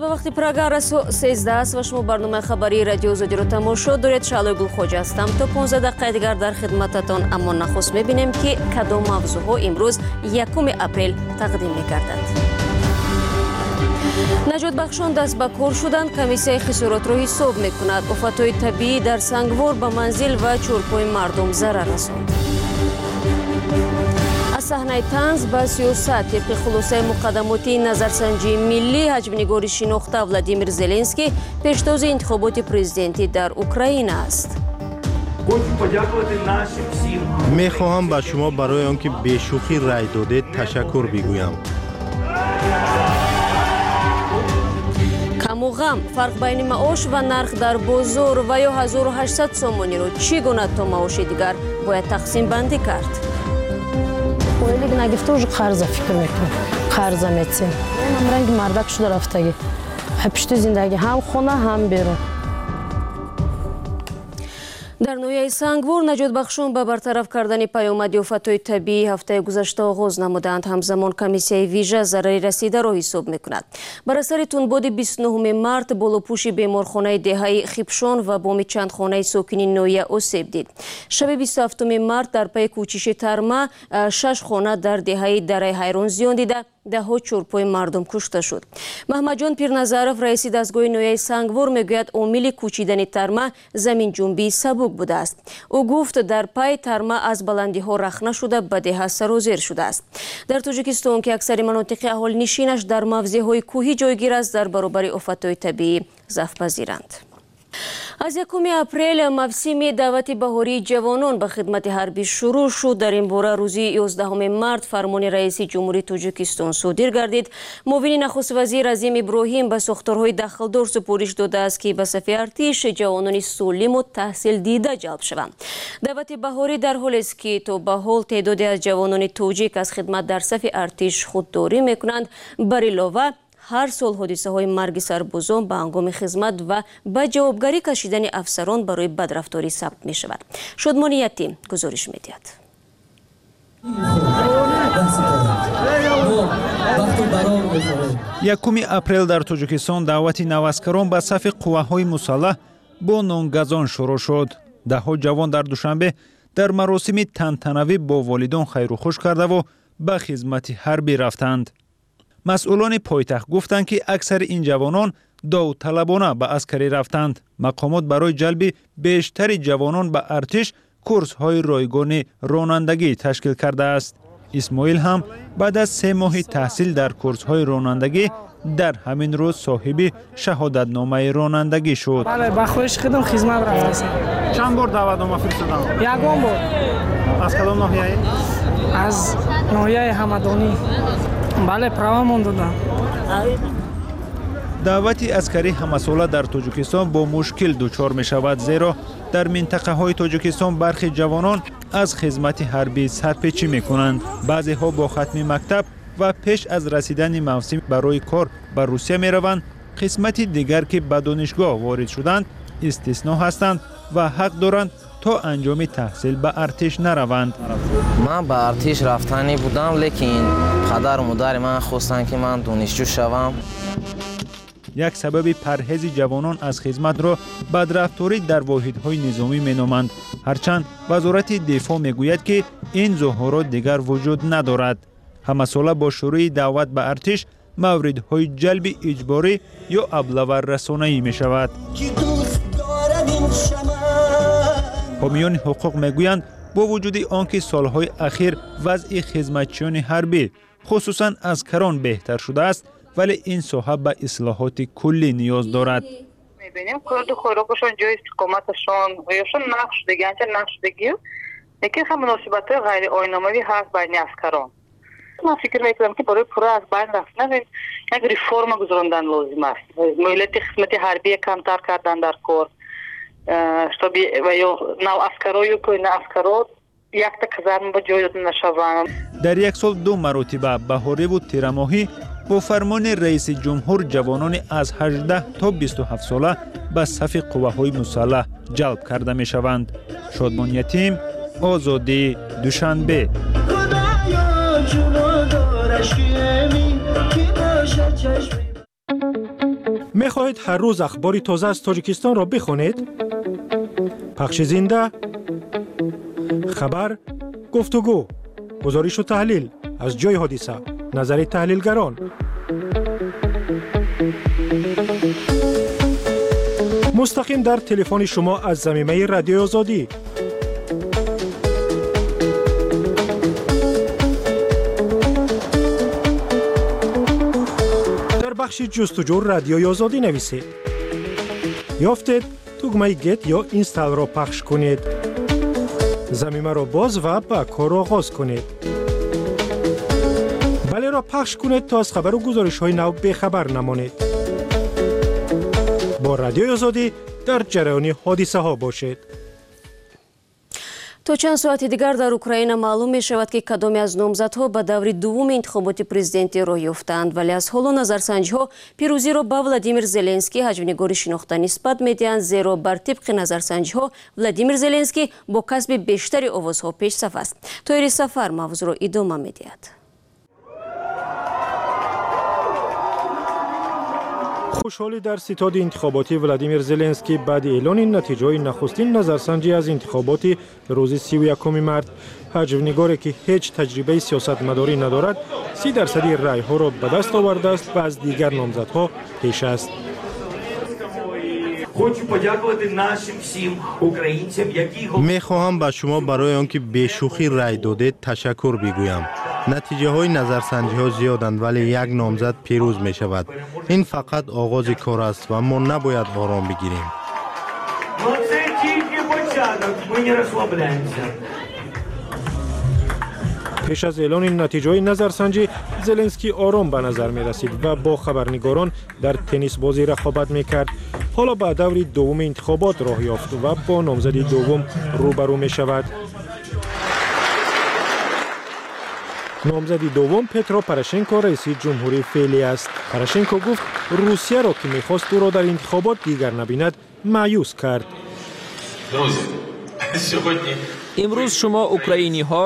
Ба вақти Прага расо 13 аст ва шумо барномаи хабарии Радиои Озодиро тамошо доред. Шаълои Гулхоҷа ҳастам. То 15 дақиқаи дигар дар хидмататон. Аммо нахуст мебинем, ки кадом мавзӯъҳо имрӯз 1 апрел тақдим мегарданд. Наҷотбахшон даст ба кор шуданд. Комиссияи хисоротро ҳисоб мекунад. Офатҳои табиӣ дар Сангвор ба манзил ва чорпои мардум зарар расонд. Аз саҳнаи танз ба сиёсат. Тибқи хулосаи муқаддамотии назарсанҷии миллӣ, ҳаҷвнигори шинохта Владимир Зеленский пештози интихоботи президентӣ дар Украина аст. Мехоҳам ба шумо барои он ки бешӯхӣ рай додед, ташаккур бигӯям. Каму ғам, фарқ байни маош ва нарх дар бозор ва ё 1800 сомониро чӣ гуна то маоши дигар бояд тақсимбандӣ кард? Ойлик нагифта, уже қарза фикр мекунем, қарза метсем. Ранги мардак шуда рафтагӣ, пишти зиндагӣ, ҳам хона, ҳам берун. Дар ноҳияи Сангвор наҷотбахшон ба бартараф кардани паёмади офатҳои табиӣ ҳафтаи гузашта оғоз намуданд. Ҳамзамон комиссияи вижа зарари расидаро ҳисоб мекунад. Бар асари тунбоди 29 март болопӯши беморхонаи деҳаи Хипшон ва боми чанд хонаи сокини ноҳия осеб дид. Шаби 27 март дар пайи кӯчиши тарма шаш хона дар деҳаи Дараи Ҳайрон зиён дида, даҳҳо чорпои мардум кушта шуд. Маҳмадҷон Пирназаров, раиси дастгоҳи ноҳияи Сангвор, мегӯяд, омили кӯчидани тарма заминҷунбии сабук будааст. Ӯ гуфт, дар пай тарма аз баландиҳо рахна шуда, ба деҳа сарозер шудааст. Дар Тоҷикистон, ки аксари манотиқи аҳолинишинаш дар мавзеъҳои кӯҳӣ ҷойгир аст, дар баробари офатҳои табиӣ зафпазиранд. Аз 1 апрел мавсими даъвати баҳории ҷавонон ба хидмати ҳарбӣ шурӯъ шуд. Дар ин бора рӯзи 11 март фармони раиси Ҷумҳурии Тоҷикистон содир гардид. Муовини нахуствазир Азим Иброҳим ба сохторҳои дахлдор супориш додааст, ки ба сафи артиш ҷавонони солиму таҳсилдида ҷалб шаванд. Даъвати баҳорӣ дар ҳолест, ки то ба ҳол теъдоде аз ҷавонони тоҷик аз хидмат дар сафи артиш худдорӣ мекунанд. Бар илова, ҳар сол ҳодисаҳои марги сарбозон ба ҳангоми хизмат ва ба ҷавобгарӣ кашидани афсарон барои бадрафторӣ сабт мешавад. Шодмони Ятим гузориш медиҳад. 1 апрел дар Тоҷикистон даъвати наваскарон ба сафи қувваҳои мусаллаҳ бо нонгазон шурӯъ шуд. Даҳҳо ҷавон дар Душанбе дар маросими тантанавӣ бо волидон хайрухуш кардаву ба хизмати ҳарбӣ рафтанд. Масъулони пойтахт гуфтанд, ки аксари ин ҷавонон довталабона ба аскарӣ рафтанд. Мақомот барои ҷалби бештари ҷавонон ба артиш курсҳои ройгони ронандагӣ ташкил кардааст. Исмоил ҳам баъд аз 3 моҳи таҳсил дар курсҳои ронандагӣ дар ҳамин рӯз соҳиби шаҳодатномаи ронандагӣ шуд. Ба хоҳиши худам хизмат рафтаам. Чанд бор даъватнома фиристодам? Ягон бор. Аз кадом ноҳияе? Аз ноҳияи Ҳамадонӣ. Бале, правамон додам. Даъвати аскарӣ ҳамасола дар Тоҷикистон бо мушкил дучор мешавад, зеро дар минтақаҳои Тоҷикистон бархи ҷавонон аз хизмати ҳарбӣ сарпечӣ мекунанд. Баъзеҳо бо хатми мактаб ва пеш аз расидани мавсим барои кор ба Русия мераванд. Қисмати дигар, ки ба донишгоҳ ворид шуданд, истисно ҳастанд ва ҳақ доранд то анҷоми таҳсил ба артиш нараванд. Ман ба артиш рафтанӣ будам, лекин падару модари ман хостанд, ки ман донишҷӯ шавам. Як сабаби парҳези ҷавонон аз хизматро бадрафторӣ дар воҳидҳои низомӣ меноманд. Ҳарчанд Вазорати дифоъ мегӯяд, ки ин зуҳурот дигар вуҷуд надорад. Ҳамасола бо шурӯи даъват ба артиш мавридҳои ҷалби иҷборӣ ё аблаваррасонаӣ мешавад. Ҳомиёни ҳуқуқ мегӯянд, бо вуҷуди он ки солҳои ахир вазъи хизматчиёни ҳарбӣ, хусусан аскарон, беҳтар шудааст, вале ин соҳа ба ислоҳоти куллӣ ниёз дорад. Мебинем, хӯрду хӯрокашон, ҷои истиқоматашон ёшон нақш шудагӣ, анча нақш шудагӣ, лекин ҳам муносибатҳои ғайриоиномавӣ ҳаст байни аскарон. Ман фикр мекунам, ки барои пурра аз байн рафтан як реформа гузарондан лозим аст. Муҳлати хизмати ҳарбия камтар кардан дар кор, чтобы ва ё нав аскарою кӯҳна аскаро якта казарма ба ҷой дода нашаванд. Дар як сол ду маротиба, баҳориву тирамоҳӣ, бо фармони раиси ҷумҳур ҷавонони аз 18 то 27 сола ба сафи қувваҳои мусаллаҳ ҷалб карда мешаванд. Шодмон Ятим, Озодӣ, Душанбе. Мехоҳед ҳар рӯз ахбори тоза аз Тоҷикистонро бихонед? Пахши зинда, хабар, гуфтугӯ, гузоришу таҳлил аз ҷои ҳодиса, назари таҳлилгарон. Мустақим дар телефони шумо аз замимаи Радиои Озодӣ. Дар бахши ҷустуҷӯ Радиои Озодӣ нависед. Ёфтед, тугмаи Get ё Install ро пахш кунед. Замимаро боз ва ба кор оғоз кунед. Балеро пахш кунед, то аз хабару гузоришҳои нав бехабар намонед. Бо Радиои Озодӣ дар ҷараёни ҳодисаҳо бошед. То чанд соати дигар дар Украина маълум мешавад, ки кадоме аз номзадҳо ба даври дуввуми интихоботи президентӣ роҳ ёфтаанд, вале аз ҳоло назарсанҷиҳо пирӯзиро ба Владимир Зеленский, ҳаҷвнигори шинохта, нисбат медиҳанд, зеро бар тибқи назарсанҷиҳо Владимир Зеленский бо касби бештари овозҳо пешсаф аст. Тоири Сафар мавзӯъро идома медиҳад. Хушҳолӣ дар ситоди интихоботии Владимир Зеленский баъди эълони натиҷаҳои нахустин назарсанҷӣ аз интихоботи рӯзи 31 март. Ҳаҷвнигоре, ки ҳеҷ таҷрибаи сиёсатмадорӣ надорад, 30% райҳоро ба даст овардааст ва аз дигар номзадҳо пеш аст. Мехоҳам ба шумо барои он ки бешӯхӣ рай додед, ташаккур бигӯям. Натиҷаҳои назарсанҷиҳо зиёданд, вале як номзад пирӯз мешавад. Ин фақат оғози кор аст ва мо набояд ором бигирем. Пеш аз эълони натиҷаҳои назарсанҷӣ Зеленский ором ба назар мерасид ва бо хабарнигорон дар теннисбозӣ рақобат мекард. Ҳоло ба даври дуввуми интихобот роҳ ёфт ва бо номзади дуввум рӯбарӯ мешавад. Номзади дуввум Петро Порошенко, раиси ҷумҳурии феълӣ аст. Порошенко гуфт, Русияро, ки мехост ӯро дар интихобот дигар набинад, маъюс кард. Имрӯз шумо украиниҳо,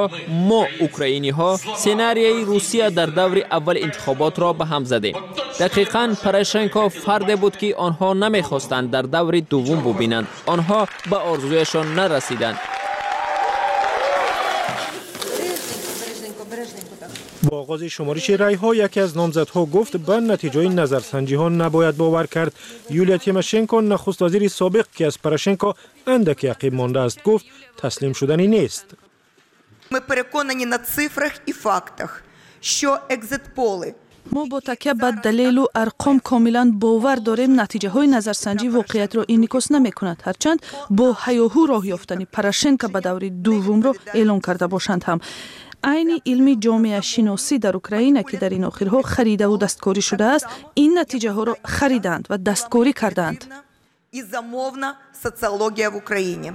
мо украиниҳо сценарияи Русия дар даври аввали интихоботро ба ҳам задем. Дақиқан Порошенко фарде буд, ки онҳо намехостанд дар даври дуввум бубинанд. Онҳо ба орзуяшон нарасиданд. Бо оғози шумориши райҳо яке аз номзадҳо гуфт, ба натиҷаи назарсанҷиҳо набояд бовар кард. Юлия Тимошенко, нахуствазири собиқ, ки аз Порошенко андаке ақиб мондааст, гуфт, таслим шуданӣ нест. Ми переконані на цифрах і фактах, що екзитполи Мо бо такя ба далелу арқом комилан бовар дорем, натиҷаҳои назарсанҷӣ воқеиятро инъикос намекунад, ҳарчанд бо ҳаёҳу роҳ ёфтани Порошенко ба даври дуввумро эълон карда бошанд ҳам. Айни илми ҷомеашиносӣ дар Украина, ки дар ин охирҳо харидаву дасткорӣ шудааст, ин натиҷаҳоро харидаанд ва дасткорӣ кардаанд. І замовна соціологія в Україні.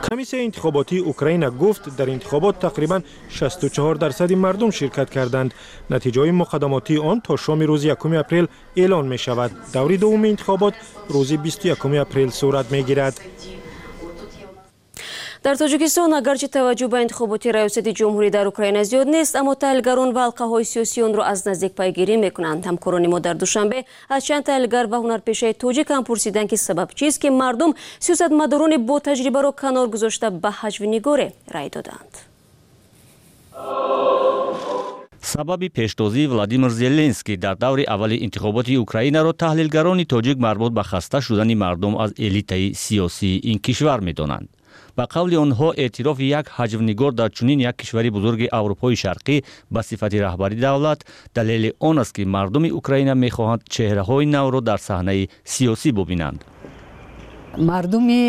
Комиссияи интихоботии Украина гуфт, дар интихобот тақрибан 64% мардум ширкат карданд. Натиҷаҳои муқаддамотии он то шоми рӯзи 1 апрел эълон мешавад. Даври дуввуми интихобот рӯзи 21 апрел сурат мегирад. Дар Тоҷикистон агарчи таваҷҷӯҳ ба интихоботи раёсати ҷумҳурӣ дар Украина зиёд нест, аммо таҳлилгарон ва ҳалқаҳои сиёсии онро аз наздик пайгирӣ мекунанд. Ҳамкорони мо дар Душанбе аз чанд таҳлилгар ва ҳунарпешаи тоҷик ҳам пурсиданд, ки сабаб чист, ки мардум сиёсатмадорони бо таҷрибаро канор гузошта ба ҳаҷвнигоре рай доданд. Сабаби пештозии Владимир Зеленский дар даври аввали интихоботи Украинаро таҳлилгарони тоҷик марбут ба хаста шудани мардум аз элитаи сиёсии ин кишвар медонанд. Ба қавли онҳо, эътирофи як ҳаҷвнигор дар чунин як кишвари бузурги Аврупои Шарқӣ ба сифати раҳбари давлат далели он аст, ки мардуми Украина мехоҳанд чеҳраҳои навро дар саҳнаи сиёсӣ бубинанд. Мардуми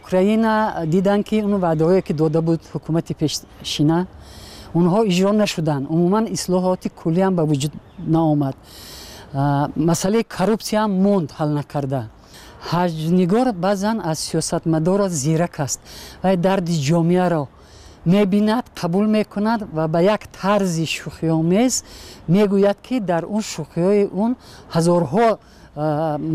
Украина диданд, ки он ваъдаҳое, ки дода буд ҳукумати пешшина, онҳо иҷро нашуданд. Умуман ислоҳоти куллиам ба вуҷуд наомад. Масъалаи коррупсияам монд ҳал накарда. Ҳаҷвнигор баъзан аз сиёсатмадора зирак аст ва дарди ҷомеаро мебинад, қабул мекунад ва ба як тарзи шӯхиомез мегӯяд, ки дар он шӯхиҳои он ҳазорҳо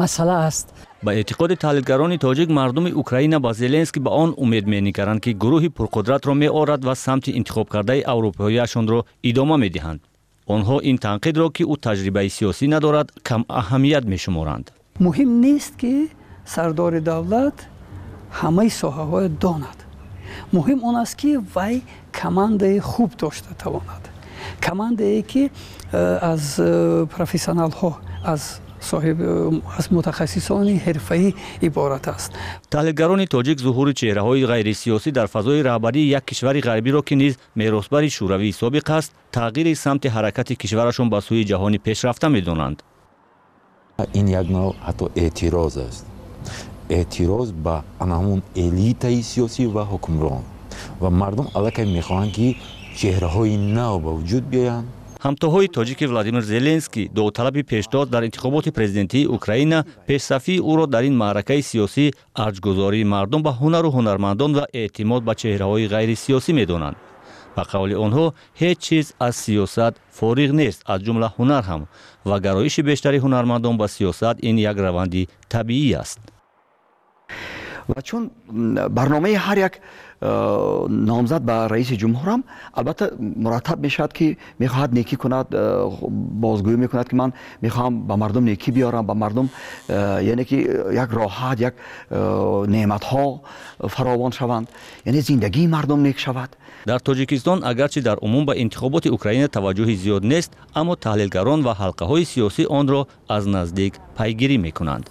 масъала аст. Ба эътиқоди таҳлилгарони тоҷик, мардуми Украина ба Зеленский ба он умед менигаранд, ки гурӯҳи пурқудратро меорад ва самти интихобкардаи аврупоияшонро идома медиҳанд. Онҳо ин танқидро, ки ӯ таҷрибаи сиёсӣ надорад, кам аҳамият мешуморанд. Муҳим нест, ки сардори давлат ҳамаи соҳаҳоро донад. Муҳим он аст, ки вай командаи хуб дошта тавонад, командае, ки аз профессионалҳо, аз соҳиб, аз мутахассисони ҳирфаӣ иборат аст. Таҳлилгарони тоҷик зуҳури чеҳраҳои ғайрисиёсӣ дар фазои раҳбарии як кишвари ғарбиро, ки низ меросбари Шӯравии собиқ аст, тағйири самти ҳаракати кишварашон ба сӯи ҷаҳони пешрафта медонанд. Ин як навъ ҳатто эътироз аст, эътироз ба ана ҳамун элитаи сиёсӣ ва ҳукмрон, ва мардум аллакай мехоҳанд, ки чеҳраҳои нав ба вуҷуд биёянд. Ҳамтоҳои тоҷики Владимир Зеленский, довталаби пешдод дар интихоботи президентии Украина, пешсафии ӯро дар ин маъракаи сиёсӣ арҷгузории мардум ба ҳунару ҳунармандон ва эътимод ба чеҳраҳои ғайрисиёсӣ медонанд. Ба қавли онҳо, ҳеҷ чиз аз сиёсат фориғ нест, аз ҷумла ҳунар ҳам, ва гароиши бештари ҳунармандон ба сиёсат ин як раванди табиӣ аст. Ва чун барномаи ҳар як номзад ба раиси ҷумҳурам албатта мураттаб мешавад, ки мехоҳад некӣ кунад, бозгӯӣ мекунад, ки ман мехоҳам ба мардум некӣ биёрам, ба мардум, яъне ки як роҳат, як неъматҳо фаровон шаванд, яъне зиндагии мардум нек шавад. Дар Тоҷикистон агарчи дар умум ба интихоботи Украина таваҷҷӯҳи зиёд нест, аммо таҳлилгарон ва ҳалқаҳои сиёсӣ онро аз наздик пайгирӣ мекунанд.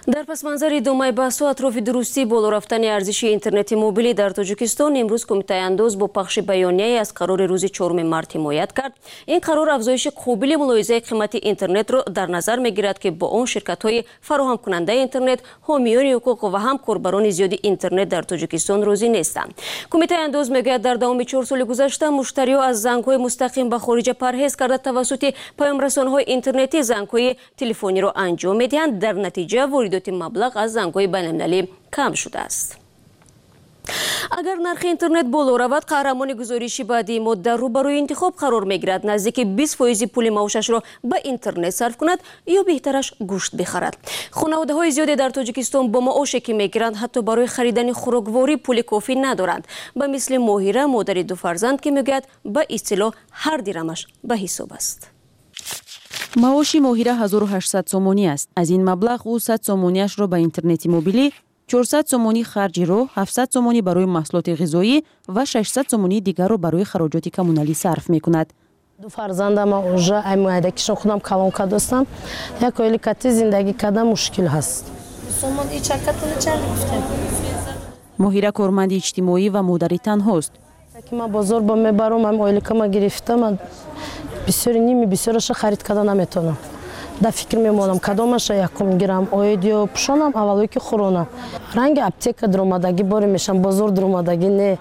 Дар пасманзари идомаи баҳсу атрофи дурустии боло рафтани арзиши интернети мобилӣ дар Тоҷикистон, имрӯз Кумитаи андоз бо пахши баёнияе аз қарори рӯзи 4 март ҳимоят кард. Ин қарор афзоиши қобили мулоҳизаи қимати интернетро дар назар мегирад, ки бо он ширкатҳои фароҳамкунандаи интернет, ҳомиёни ҳуқуқ ва ҳам корбарони зиёди интернет дар Тоҷикистон розӣ нестанд. Кумитаи андоз мегӯяд, дар давоми 4 соли гузашта муштариҳо аз зангҳои мустақим ба хориҷа парҳез карда, тавассути паёмрасонҳои интернетӣ зангҳои телефониро анҷом медиҳанд. Дар натиҷа воридоти маблағ аз зангҳои байналмилалӣ кам шудааст. Агар нархи интернет боло равад, қаҳрамони гузориши баъдии мо дар рӯбарӯи интихоб қарор мегирад: наздики 20% пули маошашро ба интернет сарф кунад ё беҳтараш гӯшт бихарад. Хонаводаҳои зиёде дар Тоҷикистон бо маоше, ки мегиранд, ҳатто барои харидани хӯрокворӣ пули кофӣ надоранд, ба мисли Моҳира, модари ду фарзанд, ки мегӯяд, ба истилоҳ ҳар дирамаш ба ҳисоб аст. Маоши Моҳира 1800 сомонӣ аст. Аз ин маблағ ӯ 100 сомониашро ба интернети мобилӣ, 400 сомонӣ харҷи роҳ, 700 сомонӣ барои маҳсулоти ғизоӣ ва 600 сомонии дигарро барои хароҷоти коммуналӣ сарф мекунад. Ду фарзандама уже ай муайдакишон худам калон кардастам. Як оили кати зиндагӣ кардан мушкил ҳаст. Моҳира корманди иҷтимоӣ ва модари танҳост. Ки ман бозор бо мебарам, ам оиликама гирифта, ман бисёри ними бисёраша харид карда наметавонам. Дар фикр мемонам, кадомаша якум гирам, оид ё пӯшонам, аввалое ки хӯронам. Ранги аптека дуромадагӣ боре мешам, бозор дуромадагӣ не.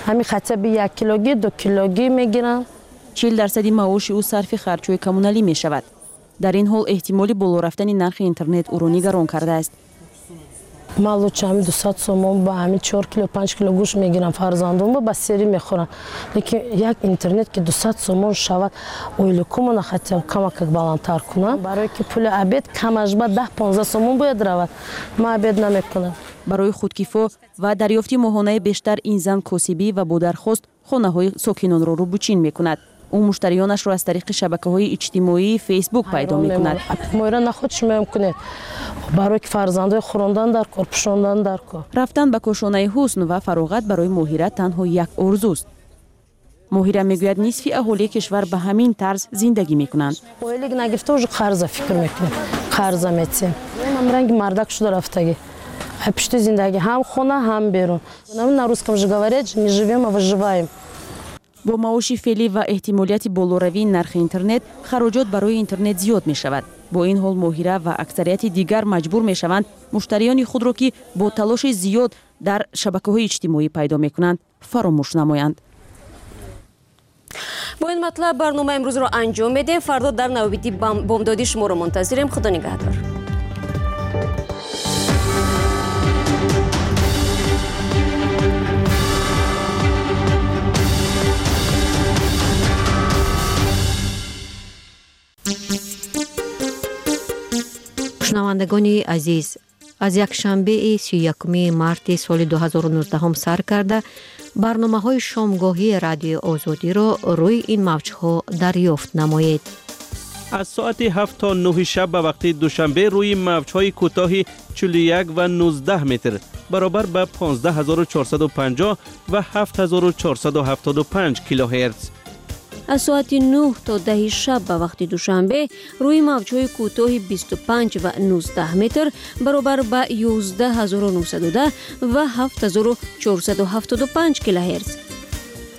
Ҳами хотя бы як килогӣ, 2 килогӣ мегирам. 40% маоши ӯ сарфи харҷҳои коммуналӣ мешавад. Дар ин ҳол эҳтимоли боло рафтани нархи интернет ӯро нигарон кардааст. Ман лучше ҳами 200 сомон ба ҳами 4 кило, 5 кило гӯшт мегирам, фарзандонба ба сери мехӯрам. Лекин як интернет ки 200 сомон шавад, оиликумона хотя камакак баландтар кунам. Барое ки пули обед камаш ба 10-15 сомон бояд равад. Ман обед намекунам. Барои худкифо ва дарёфти моҳонаи бештар ин зан косибӣ ва бо дархост хонаҳои сокинонро рӯбучин мекунад. Ӯ муштариёнашро аз тариқи шабакаҳои иҷтимоии Фейсбук пайдо мекунад. Моира наход шумоям кунед, барое ки фарзандои хӯрондан дар кор, пӯшондан дар кор. Рафтан ба кошонаи ҳусн ва фароғат барои Моҳира танҳо як орзуст. Моҳира мегӯяд, нисфи аҳолии кишвар ба ҳамин тарз зиндагӣ мекунанд. Оилик нагирифта уже қарза фикр мекунем, қарза метиҳем. Ранги мардак шуда рафтагӣ. Ай пушти зиндагӣ ҳам хона, ҳам берун. На русском же говорят, не живем, а выживаем. Бо маоши феълӣ ва эҳтимолияти болоравии нархи интернет, хароҷот барои интернет зиёд мешавад. Бо ин ҳол Моҳира ва аксарияти дигар маҷбур мешаванд муштариёни худро, ки бо талоши зиёд дар шабакаҳои иҷтимоӣ пайдо мекунанд, фаромӯш намоянд. Бо ин матлаб барномаи имрӯзро анҷом медиҳем. Фардо дар навбати бомдодӣ шуморо мунтазирем. Худо нигаҳдор. Шунавандагони азиз, Аз якшанбеи 31 марти соли 2019 сар карда барномаҳои шомгоҳии Радиои Озодиро рӯи ин мавҷҳо дарёфт намоед. Аз соати 7 то 9 шаб ба вақти Душанбе рӯи мавҷҳои кӯтоҳи 41 ва 19 метр баробар ба 15450 ва 7475 килогерц. Аз соати 9 то 10 шаб ба вақти Душанбе рӯи мавҷҳои кӯтоҳи 25 ва 19 метр баробар ба 11910 ва 7475 килогерц.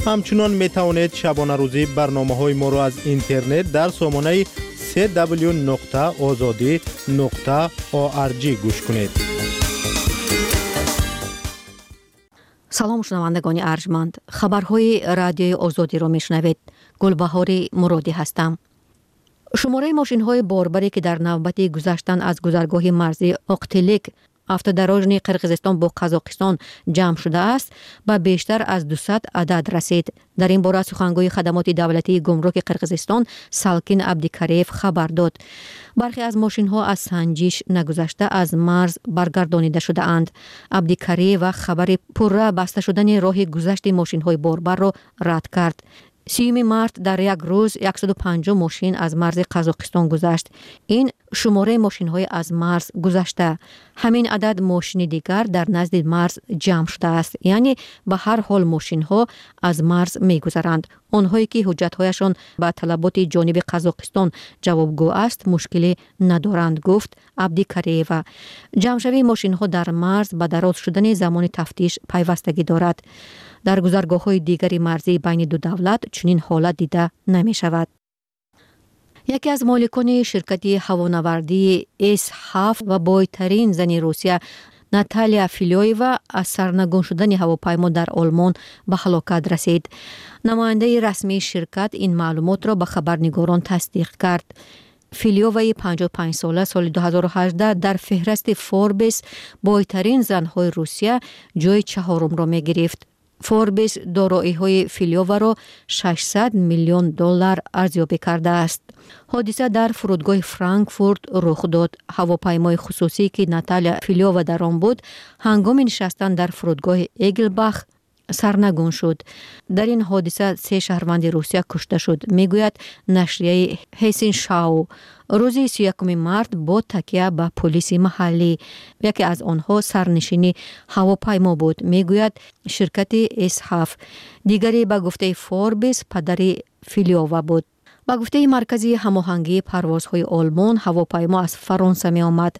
Ҳамчунон метавонед шабонарӯзӣ барномаҳои моро аз интернет дар сомонаи cw.ozodi.org гӯш кунед. Салом, шунавандагони арҷманд. Хабарҳои Радиои Озодиро мешунавед. Гулбаҳори Муродӣ ҳастам. Шумораи мошинҳои борбаре, ки дар навбати гузаштан аз гузаргоҳи марзии Оқтилик автодорожни Қирғизистон бо Қазоқистон ҷамъ шудааст, ба бештар аз 200 адад расид. Дар ин бора сухангӯи хадамоти давлатии гумруки Қирғизистон Салкин Абдикареев хабар дод. Бархе аз мошинҳо аз санҷиш нагузашта аз марз баргардонида шудаанд. Абдикареева хабари пурра баста шудани роҳи гузашти мошинҳои борбарро рад кард. 30 март дар як рӯз 150 мошин аз марзи Қазоқистон гузашт. Ин шумораи мошинҳои аз марз гузашта. Ҳамин адад мошини дигар дар назди марз ҷамъ шудааст. Яъне ба ҳар ҳол мошинҳо аз марз мегузаранд. Онҳое ки ҳуҷҷатҳояшон ба талаботи ҷониби Қазоқистон ҷавобгӯ аст, мушкилӣ надоранд, гуфт Абдикареева. Ҷамъшавии мошинҳо дар марз ба дароз шудани замони тафтиш пайвастагӣ дорад. Дар гузаргоҳҳои дигари марзии байни ду давлат чунин ҳолат дида намешавад. Яке аз моликони ширкати ҳавонавардии С7 ва бойтарин зани Русия Наталия Филёева аз сарнагун шудани ҳавопаймо дар Олмон ба ҳалокат расид. Намояндаи расмии ширкат ин маълумотро ба хабарнигорон тасдиқ кард. Филёваи 55-сола соли 2018 дар феҳрасти Форбес бойтарин занҳои Русия ҷои чаҳорумро мегирифт. Форбес дороиҳои Филёваро 600 миллион доллар арзёбӣ кардааст. Ҳодиса дар фурудгоҳи Франкфурт рух дод. Ҳавопаймои хусусӣ, ки Наталия Филёва дар он буд, ҳангоми нишастан дар фурудгоҳи Эгелбах сарнагун шуд. Дар ин ҳодиса се шаҳрванди Русия кушта шуд, мегӯяд нашрияи Ҳессеншау. Рӯзи 31 март бо такя ба полиси маҳаллӣ яке аз онҳо сарнишини ҳавопаймо буд, мегӯяд ширкати С7. Дигаре ба гуфтаи Форбес падари Филёва буд. Ба гуфтаи маркази ҳамоҳангии парвозҳои Олмон, ҳавопаймо аз Фаронса меомад.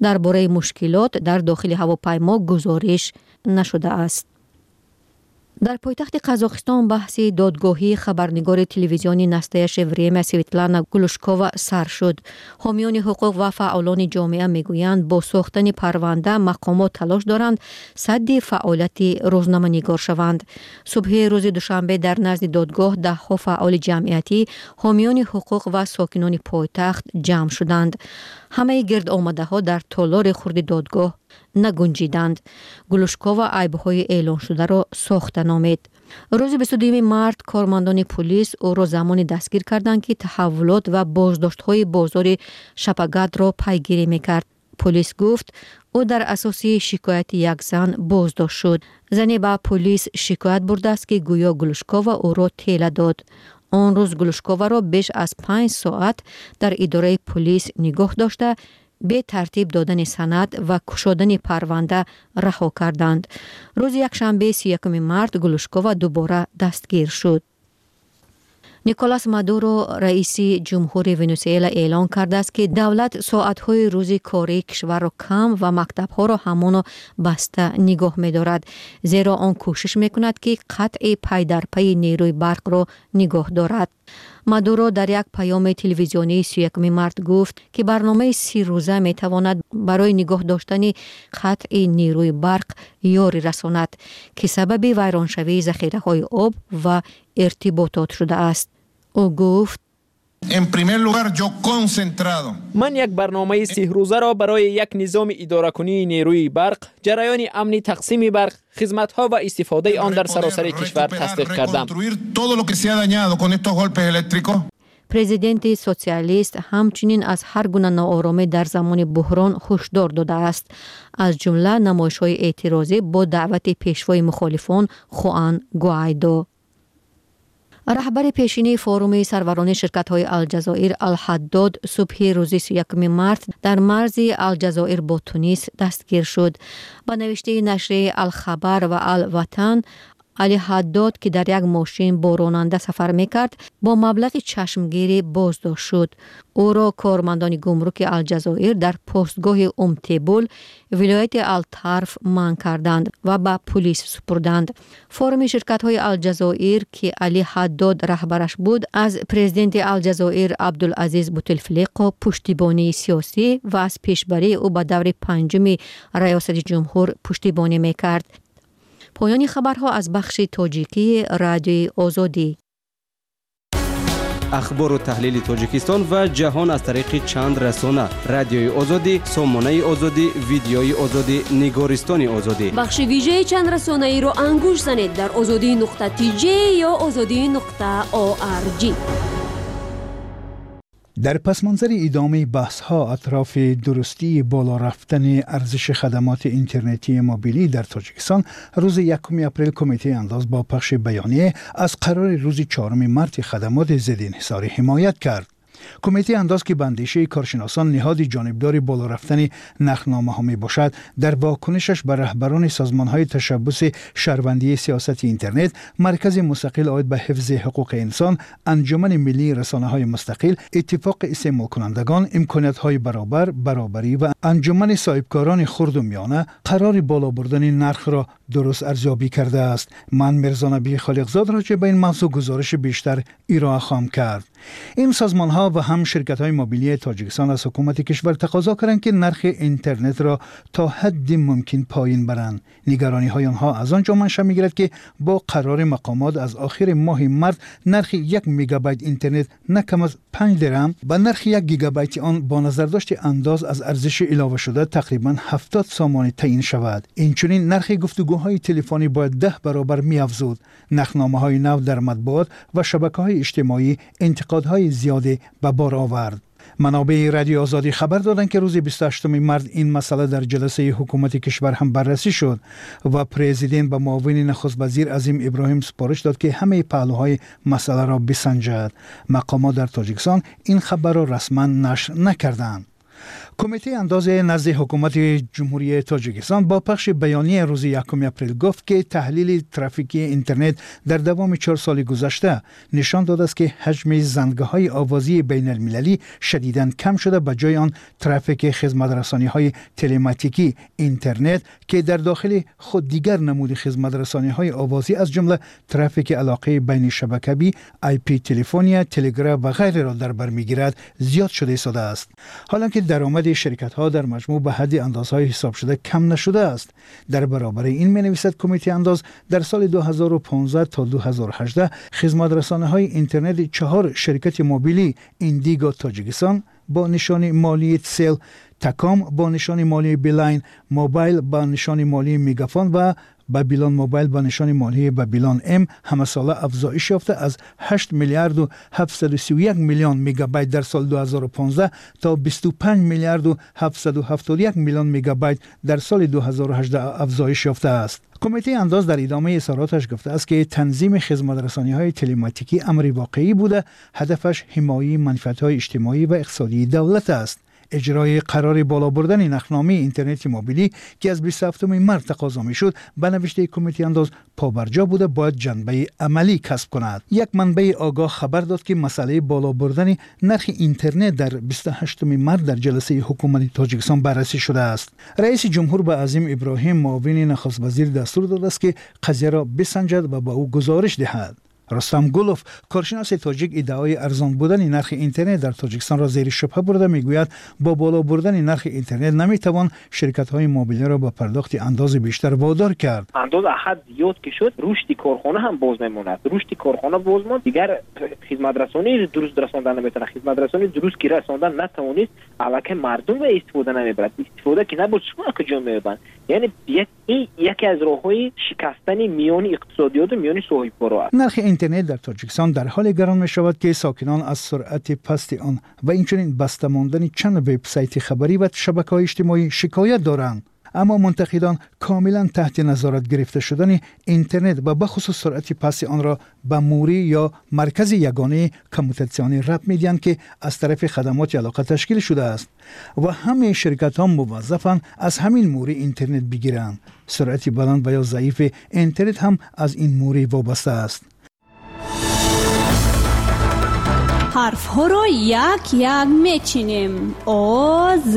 Дар бораи мушкилот дар дохили ҳавопаймо гузориш нашудааст. Дар пойтахти Қазоқистон баҳси додгоҳии хабарнигори телевизиони Настоящее время Светлана Глушкова сар шуд. Ҳомиёни ҳуқуқ ва фаъолони ҷомеа мегӯянд, бо сохтани парванда мақомот талош доранд садди фаъолияти рӯзноманигор шаванд. Субҳи рӯзи душанбе дар назди додгоҳ даҳҳо фаъоли ҷамъиятӣ, ҳомиёни ҳуқуқ ва сокинони пойтахт ҷамъ шуданд. Ҳамаи гирдомадаҳо дар толори хурди додгоҳ нагунҷиданд. Глушкова айбҳои эълоншударо сохта номид. Рӯзи 22 март кормандони пулис ӯро замоне дастгир карданд, ки таҳаввулот ва боздоштҳои бозори Шапагатро пайгирӣ мекард. Пулис гуфт, ӯ дар асоси шикояти як зан боздошт шуд. Зане ба пулис шикоят бурдааст, ки гӯё Глушкова ӯро тела дод. Он рӯз Глушковаро беш аз 5 соат дар идораи пулис нигоҳ дошта, бетартиб додани санад ва кушодани парванда раҳо карданд. Рӯзи якшанбе 31 март Глушкова дубора дастгир шуд. Николас Мадуро, раиси ҷумҳури Венесуэла, эълон кардааст, ки давлат соатҳои рӯзи кории кишварро кам ва мактабҳоро ҳамоно баста нигоҳ медорад, зеро он кӯшиш мекунад, ки қатъи пайдарпайи нерӯи барқро нигоҳ дорад. Мадуро дар як паёми телевизионии 31 март гуфт, ки барномаи 30 рӯза метавонад барои нигоҳ доштани қатъи нерӯи барқ ёрӣ расонад, ки сабаби вайроншавии захираҳои об ва иртиботот шудааст. Ӯ гуфт: Ман як барномаи 30 рӯзаро барои як низоми идоракунии нерӯи барқ, ҷараёни амни тақсими барқ, хизматҳо ва истифодаи он дар саросари кишвар тасдиқ кардам. Президенти социалист ҳамчунин аз ҳар гуна нооромӣ дар замони буҳрон ҳушдор додааст, аз ҷумла намоишҳои эътирозӣ бо даъвати пешвои мухолифон Хуан Гуайдо. Раҳбари пешинии форуми сарварони ширкатҳои Алҷазоир Алҳаддод субҳи рӯзи 31 март дар марзи Алҷазоир бо Тунис дастгир шуд. Ба навиштаи нашрияи Алхабар ва Алватан, Али Ҳаддод, ки дар як мошин бо ронанда сафар мекард, бо маблағи чашмгирӣ боздошт шуд. Ӯро кормандони гумруки Алҷазоир дар постгоҳи Умтебул, вилояти Алтарф, манъ карданд ва ба пулис супурданд. Форуми ширкатҳои Алҷазоир, ки Али Ҳаддод раҳбараш буд, аз президенти Алҷазоир Абдулазиз Бутефлиқо пуштибонии сиёсӣ ва аз пешбарии ӯ ба даври панҷуми раёсати ҷумҳур пуштибонӣ мекард. Поёни хабарҳо аз бахши тоҷикии Радиои Озодӣ. Ахбору таҳлили Тоҷикистон ва ҷаҳон аз тариқи чанд расона: Радиои Озодӣ, Сомонаи Озодӣ, Видеои Озодӣ, Нигористони Озодӣ. Бахши вижаи чанд расонаиро ангушт занед дар озодӣ.tj ё озодӣ.org. Дар пасманзари идомаи баҳсҳо атрофи дурустии боло рафтани арзиши хадамоти интернетии мобилӣ дар Тоҷикистон, рӯзи 1 апрел Кумитаи андоз бо пахши баёние аз қарори рӯзи 4 марти хадамоти зидди инҳисорӣ ҳимоят кард. Кумитаи андоз, ки ба андешаи коршиносон ниҳоди ҷонибдори боло рафтани нархномаҳо мебошад, дар вокунишаш ба раҳбарони созмонҳои ташаббуси шаҳрвандии сиёсати интернет, Маркази мустақил оид ба ҳифзи ҳуқуқи инсон, Анҷумани миллии расонаҳои мустақил, Иттифоқи истеъмолкунандагон, Имкониятҳои баробар, Баробарӣ ва Анҷумани соҳибкорони хурду миёна қарори боло бурдани нархро дуруст арзёбӣ кардааст. Ман Мирзонабии Холиқзод роҷеъ ба ин мавзӯъ гузориши бештар ироа хоҳам кард. Ин созмонҳо ва ҳам ширкатҳои мобилии Тоҷикистон аз ҳукумати кишвар тақозо карданд, ки нархи интернетро то ҳадди мумкин поин баранд. Нигарониҳои онҳо аз он ҷо манша мегирад, ки бо қарори мақомот аз охири моҳи март нархи 1 мегабайт интернет на кам аз 5 дирам ба нархи 1 гигабайти он бо назардошти андоз аз арзиши иловашуда тақрибан 70 сомонӣ таъин шавад. Инчунин нархи гуфтугӯҳои телефонӣ бояд 10 баробар меафзуд. Нархномаҳои нав дар матбуот ва шабакаҳои иҷтимоӣ интиқодҳои зиёде ба бор овард. Манобеи Радиои Озодӣ хабар доданд, ки рӯзи 28 март ин масъала дар ҷаласаи ҳукумати кишвар ҳам баррасӣ шуд ва президент ба муовини нахуствазир Азим Иброҳим супориш дод, ки ҳамаи паҳлӯҳои масъаларо бисанҷад. Мақомот дар Тоҷикистон ин хабарро расман нашр накарданд. Кумитаи андози назди ҳукумати Ҷумҳурии Тоҷикистон бо пахши баёнияи рӯзи 1 апрел гуфт, ки таҳлили трафикии интернет дар давоми 4 соли гузашта нишон додааст, ки ҳаҷми зангҳои овозии байналмилалӣ шадидан кам шуда, ба ҷои он трафики хизматрасониҳои телематикӣ интернет, ки дар дохили худ дигар намуди хизматрасониҳои овозӣ, аз ҷумла трафики алоқаи байнишабакавӣ, IP телефония, телеграф ва ғайреро дар бар мегирад, зиёд шуда истодааст. Ҳоло ки даромади ширкатҳо дар маҷмӯъ ба ҳадди андозҳои ҳисобшуда кам нашудааст. Дар баробари ин, менависад Кумитаи андоз, дар соли 2015 то 2018 хизматрасониҳои интернети чаҳор ширкати мобилӣ: Индиго Тоҷикистон бо нишони молии Тсел, Таком бо нишони молии Билайн Мобайл ба нишони молии Мегафон ва Бабилон Мобайл ба нишони молии Бабилон М ҳамасола афзоиш ёфта, аз 8 миллиарду 731 миллион мегабайт дар соли 2015 то 25 миллиарду 771 миллион мегабайт дар соли 2018 афзоиш ёфтааст. Кумитаи андоз дар идомаи изҳороташ гуфтааст, ки танзими хизматрасониҳои телематикӣ амри воқеӣ буда, ҳадафаш ҳимояи манфиатҳои иҷтимоӣ ва иқтисодии давлат аст. Иҷрои қарори боло бурдани нархномаи интернети мобилӣ, ки аз 27 март тақозо мешуд, ба навиштаи Кумитаи андоз побарҷо буда, бояд ҷанбаи амалӣ касб кунад. Як манбаи огоҳ хабар дод, ки масъалаи боло бурдани нархи интернет дар 28 март дар ҷаласаи ҳукумати Тоҷикистон баррасӣ шудааст. Раиси ҷумҳур ба Азим Иброҳим, муовини нахуствазир, дастур додааст, ки қазияро бисанҷад ва ба ӯ гузориш диҳад. Рустам Гулов, коршиноси тоҷик, иддаои арзон будани нархи интернет дар Тоҷикистонро зери шубҳа бурда, мегӯяд, бо боло бурдани нархи интернет наметавон ширкатҳои мобилиро ба пардохти андози бештар водор кард. Андоз аз ҳад зиёд ки шуд, рушди корхона ҳам боз мемонад. Рушди корхона боз монд, дигар хизматрасонии дуруст расондан наметавонад. Хизматрасонии дуруст ки расондан натавонист, аллакай мардум ва истифода намебарад. Истифода ки набуд, шумо куҷо меёбанд? Яъне ин яке аз роҳҳои шикастани миёни иқтисодиёту миёни соҳибкоро аст. Нархи Интернет дар Тоҷикистон дар ҳоле гарон мешавад, ки сокинон аз суръати пасти он ва инчунин баста мондани чанд вебсайти хабарӣ ва шабакаҳои иҷтимоӣ шикоят доранд. Аммо мунтақидон комилан таҳти назорат гирифта шудани интернет ва бахусус суръати пасти онро ба мурӣ ё маркази ягонаи коммутатсионӣ рабт медиҳанд, ки аз тарафи хадамоти алоқа ташкил шудааст ва ҳамаи ширкатҳо муваззафанд аз ҳамин мурӣ интернет бигиранд. Суръати баланд ва ё заифи интернет ҳам аз ин мурӣ вобаста аст. Ҳарфҳоро як як мечинем. О, З,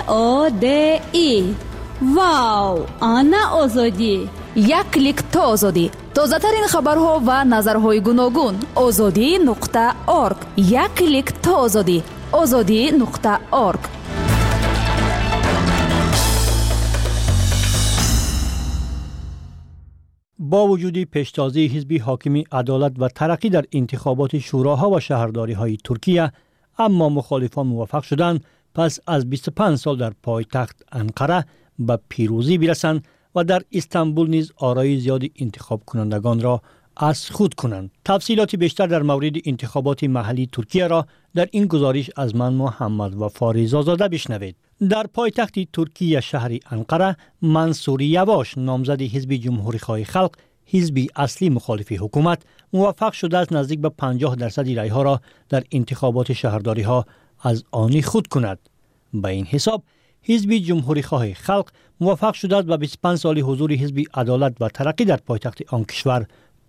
О, Д, И. Вау, ана Озодӣ! Як клик то Озодӣ. Тозатарин хабарҳо ва назарҳои гуногун. Озодӣ нуқта орг. Як клик то Озодӣ. Озодӣ нуқта орг. Бо вуҷуди пештозии ҳизби ҳокими Адолат ва Тараққӣ дар интихоботи шӯроҳо ва шаҳрдориҳои Туркия, аммо мухолифон муваффақ шуданд пас аз 25 сол дар пойтахт Анқара ба пирӯзӣ бирасанд ва дар Истанбул низ орои зиёди интихобкунандагонро аз худ кунанд. Тафсилоти бештар дар мавриди интихоботи маҳаллии Туркияро дар ин гузориш аз ман Муҳаммад Вафо Ризозода бишнавед. Дар пойтахти Туркия шаҳри Анқара Мансур Явош, номзади ҳизби Ҷумҳурихоҳи Халқ, ҳизби аслӣ мухолифи ҳукумат, муваффақ шудааст наздик ба 50% райҳоро дар интихоботи шаҳрдориҳо аз они худ кунад. Ба ин ҳисоб ҳизби Ҷумҳурихоҳи Халқ муваффақ шудааст ба 25 соли ҳузури ҳизби Адолат ва Тараққӣ дар пойтахти он кишвар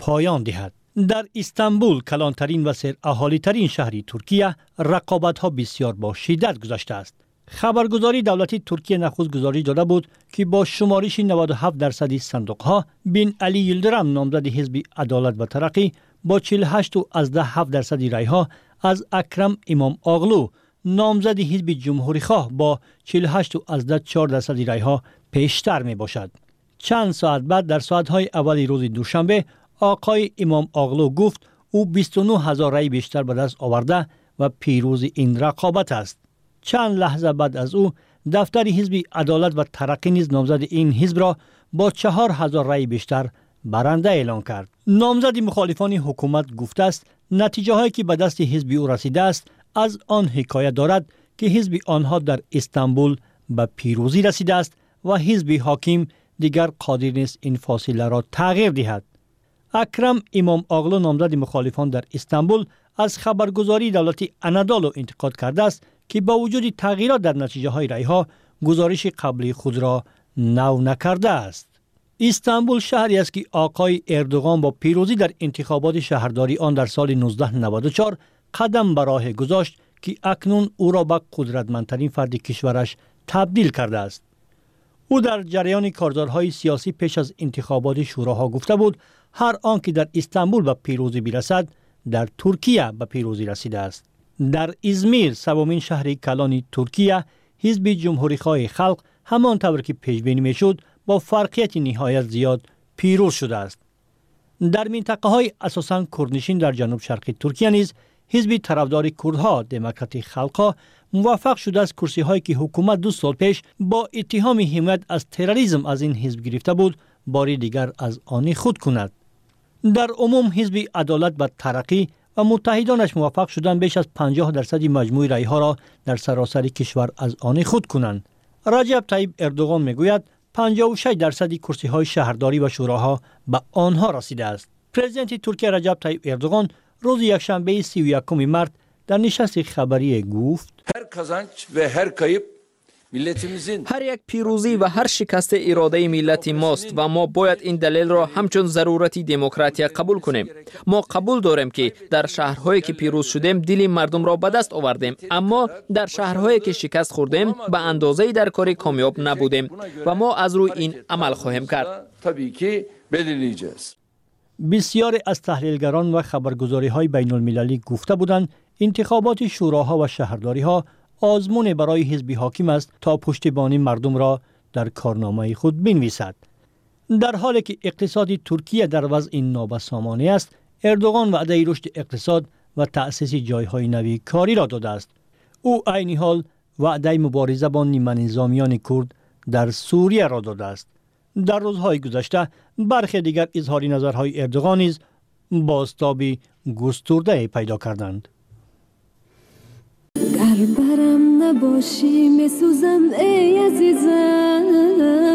поён диҳад. Дар Истанбул, калонтарин ва сераҳолитарин шаҳри Туркия, рақобатҳо бисёр бо шиддат гузаштааст. Хабаргузории давлати Туркия нахуст гузориш дода буд, ки бо шумориши 97% сандуқҳо Бин Али Йилдирам, номзади ҳизби Адолат ва Тараққӣ, бо 48,7% райҳо аз Акрам Имом Оғлу, номзади ҳизби Ҷумҳурихоҳ, бо 48,4% райҳо пештар мебошад. Чанд соат баъд дар соатҳои аввали рӯзи душанбе оқои Имом Оғлу гуфт, ӯ 29 ҳазор рай бештар ба даст оварда ва пирӯзи ин рақобат аст. Чанд лаҳза баъд аз ӯ дафтари ҳизби Адолат ва Тараққӣ низ номзади ин ҳизбро бо 4 ҳазор рай бештар баранда эълон кард. Номзади мухолифони ҳукумат гуфтааст, натиҷаҳое ки ба дасти ҳизби ӯ расидааст аз он ҳикоят дорад, ки ҳизби онҳо дар Истанбул ба пирӯзӣ расидааст ва ҳизби ҳоким дигар қодир нест ин фосиларо тағйир диҳад. Акрам Имом Оғлу, номзади мухолифон дар Истанбул, аз хабаргузории давлати Анадолу интиқод кардааст, ки бо вуҷуди тағйирот дар натиҷаҳои райҳо гузориши қаблии худро нав накардааст. Истанбул шаҳре аст, ки оқои Эрдуғон бо пирӯзӣ дар интихоботи шаҳрдории он дар соли 1994 қадам ба роҳе гузошт, ки акнун ӯро ба қудратмандтарин фарди кишвараш табдил кардааст. Ӯ дар ҷараёни корзорҳои сиёсӣ пеш аз интихоботи шӯроҳо гуфта буд, ҳар он ки дар Истанбул ба пирӯзӣ бирасад, дар Туркия ба пирӯзӣ расидааст. Дар Измир, севумин шаҳри калони Туркия, ҳизби Ҷумҳурихоҳи Халқ ҳамон тавр ки пешбинӣ мешуд бо фарқияти ниҳоят зиёд пирӯз шудааст. Дар минтақаҳои асосан курднишин дар ҷануб шарқи Туркия низ ҳизби тарафдори курдҳо, Демократи Халқҳо, муваффақ шудааст курсиҳое ки ҳукумат 2 сол пеш бо иттиҳоми ҳимоят аз терроризм аз ин ҳизб гирифта буд, бори дигар аз они худ кунад. Дар умум ҳизби Адолат ва Тараққӣ ва муттаҳидонаш муваффақ шуданд беш аз 50% маҷмӯи райҳоро дар саросари кишвар аз они худ кунанд. Раҷаб Таиб Эрдуғон мегӯяд, 56% курсиҳои шаҳрдорӣ ва шӯроҳо ба онҳо расидааст. Президенти Туркия Раҷаб Таиб Эрдуғон рӯзи якшанбеи 31 март дар нишасти хабарие гуфт: Ҳар казанч ва ҳар кайб ҳар як пирӯзӣ ва ҳар шикасти иродаи миллати мост ва мо бояд ин далелро ҳамчун зарурати демократия қабул кунем. Мо қабул дорем, ки дар шаҳрҳое ки пирӯз шудем, дили мардумро ба даст овардем, аммо дар шаҳрҳое ки шикаст хӯрдем, ба андозаи дар кори комёб набудем ва мо аз рӯи ин амал хоҳем кард. Бисёре аз таҳлилгарон ва хабаргузориҳои байнулмилалӣ гуфта буданд, интихоботи шӯроҳо ва шаҳрдориҳо озмуне барои ҳизби ҳоким аст то пуштибонии мардумро дар корномаи худ бинависад. Дар ҳоле ки иқтисоди Туркия дар вазъи нобасомонӣ аст, Эрдуғон ваъдаи рушди иқтисод ва таъсиси ҷойҳои нави кориро додааст. Ӯ айни ҳол ваъдаи мубориза бо ниманизомиёни курд дар Сурияро додааст. Дар рӯзҳои гузашта бархе дигар изҳори назарҳои Эрдуғон низ бозтоби густурдае пайдо карданд. Гар барам набошӣ, месӯзам, эй азизам.